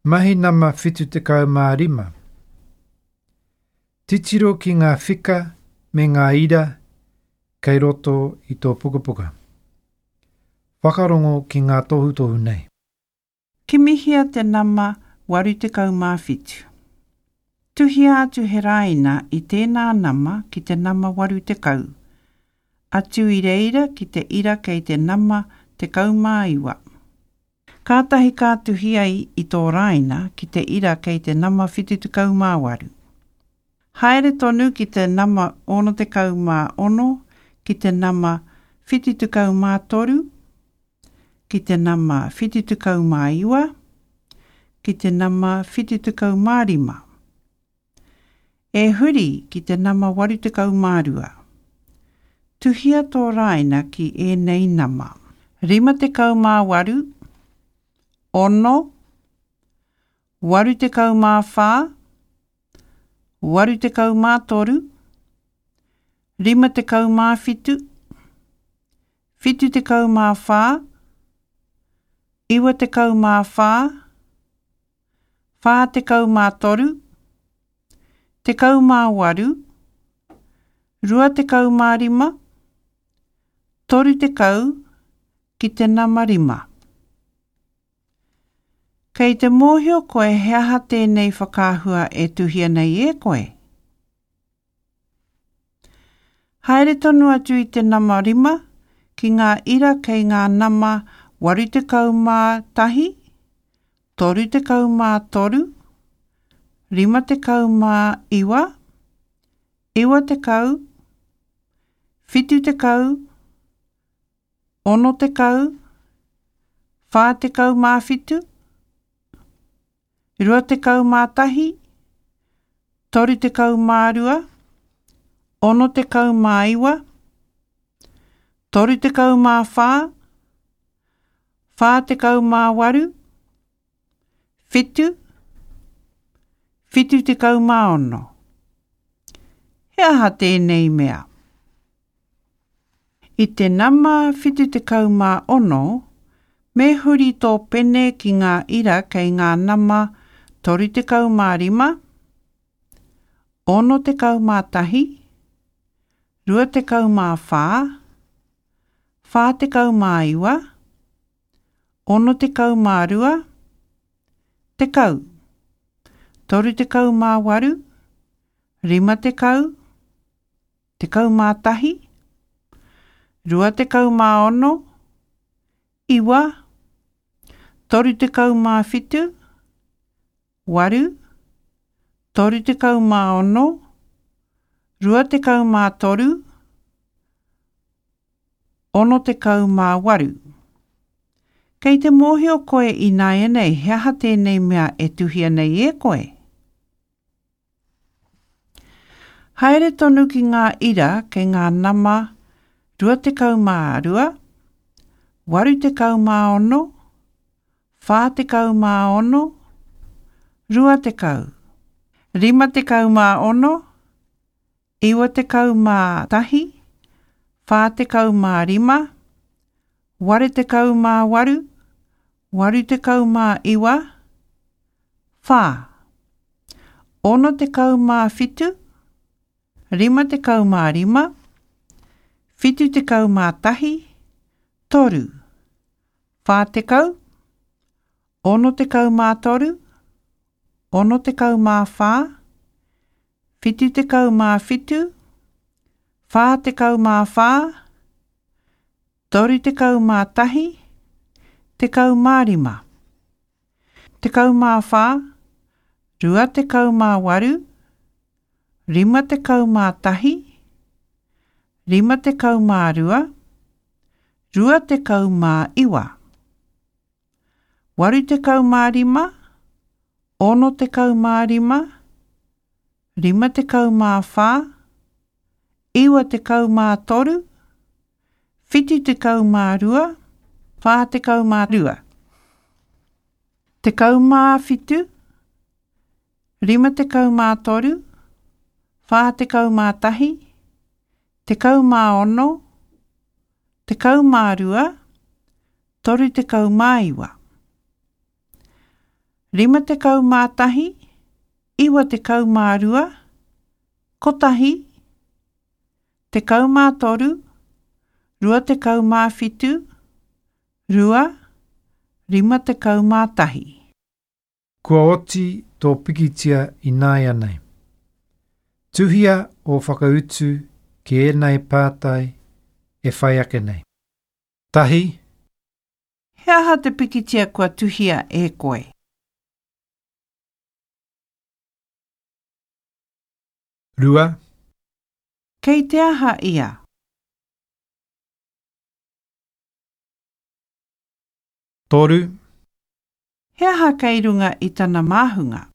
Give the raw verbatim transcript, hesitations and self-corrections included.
Mahi nama whitu tekau mā rima. Titiro ki ngā whika me ngā ira kei roto i tō pukapuka. Whakarongo ki ngā tohutohu nei. Kimihia te nama waru tekau mā whitu. Tuhia atu he rāina i tēnā nama ki te nama waru tekau. Atu i reira ki te ira kei te nama tekau mā iwa. Kātahi ka tuhi ai i tō rāina ki te ira kei te nama whitu tekau mā waru. Haere tonu ki te nama ono tekau mā ono, ki te nama whitu tekau mā toru, ki te nama whitu tekau mā iwa, ki te nama whitu tekau mā rima. E huri ki te nama waru tekau mā rua. Tuhia tō rāina ki ēnei nama. Rima tekau mā waru, ono, waru tekau mā whā, waru tekau mā toru, rima tekau mā whitu, whitu tekau mā whā, iwa tekau mā whā, whā tekau mā toru, tekau mā waru, rua tekau mā rima, toru tekau ki te nama rima. Kei te mōhio koe he aha tēnei whakaahua e tuhia nei e koe. Haere tonu atu i te nama rima ki ngā ira kei ngā nama waru tekau mā tahi, toru tekau mā toru, rima tekau mā iwa, iwa tekau, whitu tekau, ono tekau, whā tekau mā whitu, rua tekau mā tahi, toru tekau mā rua, ono tekau mā iwa, toru tekau mā whā, whā tekau mā waru, whitu, whitu tekau mā ono. He aha tēnei mea? I te nama whitu tekau mā ono, me huri tō pene ki ngā ira kei ngā nama toru tekau mā rima, ono tekau mā tahi, rua tekau mā whā, whā tekau mā iwa, ono tekau mā rua, tekau, toru tekau mā waru, rima tekau, tekau mā tahi, rua tekau mā ono, iwa, toru tekau mā whitu, waru, toru tekau mā ono, rua tekau mā toru, ono tekau mā waru. Kei te mōhio koe i nāianei he aha tēnei mea e tuhia nei e koe? Haere tonu ki ngā ira kei ngā nama rua tekau mā rua, waru tekau mā ono, whā tekau mā ono, rua tekau, rima tekau mā ono, iwa tekau mā tahi, whā tekau mā rima, waru tekau mā waru, waru tekau mā iwa, whā, ono tekau mā whitu, rima tekau mā rima, whitu tekau mā tahi, toru, whā tekau, ono tekau mā toru, ono tekau mā whā, whitu tekau mā whitu, whā tekau mā whā, toru tekau mā tahi, tekau mā rima, tekau mā whā, rua tekau mā waru, rima tekau mā tahi, rima tekau mā rua, rua tekau mā iwa, waru tekau mā rima, ono tekau mā rima, rima tekau mā whā, iwa tekau mā toru, whitu tekau mā rua, whā tekau mā rua. Tekau mā whitu, rima tekau mā toru, whā tekau mā tahi, tekau mā ono, tekau mā rua, toru tekau mā iwa. Rima tekau mā tahi, iwa tekau mā rua, kotahi, tekau mā toru, rua tekau mā whitu, rua, rima tekau mā tahi. Kua oti tō pikitia ināianei. Tuhia ō whakautu ki ēnei pātai e whai ake nei. Tahi. He aha te pikitia kua tuhia e koe? Rua. Kei te aha ia? Toru. He aha kei runga i tana māhunga?